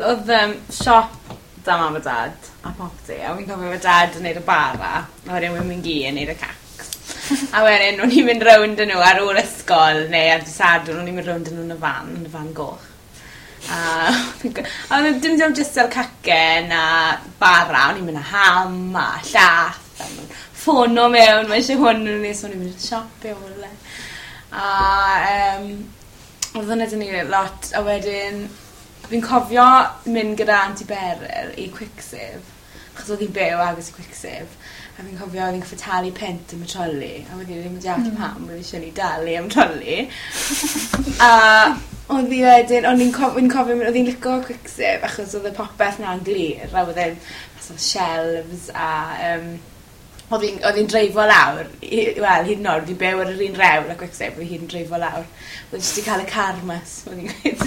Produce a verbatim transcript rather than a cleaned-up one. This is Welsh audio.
O'dd yym siop 'da mam a dad a popty a fi'n cofio fe dad yn neud y bara a wedyn ma' mamgu yn neud y cacs. A wedyn o'n i'n mynd rownd â n'w ar ôl ysgol neu ar dy' Sadwrn o'n i'n mynd rownd â n'w yn y fan yn y fan goch. A a o'dd e dim dim jyst fel cacen a bara o'n i'n myn' â ham a llath a ma'n ffono mewn mae isie hwn so o'n i'n mynd i'r siop i ôl e. A yym odd wnna 'da ni lot a wedyn fi'n cofio mynd gyda Aunty Beryl i Quick Save achos odd 'i'n byw agos i Quick Save a fi'n cofio o'n i'n goffod talu punt am y troli a wedyn 'yf fi ddim yn deall pam oedd isie ni dalu am troli. A odd 'i wedyn o'n i'n cof fi'n cofio mi- odd 'i'n lico Quick Save achos odd y popeth 'na'n glir a wedd e'n so sielves a yym odd 'i'n odd 'i'n dreifo lawr i wel hyd yn o'd fi'n byw ar yr un rhewl â Quick Save fi hyd yn dreifo lawr. Wel jyst i ca'l y car mas fel o'n i'n gweud.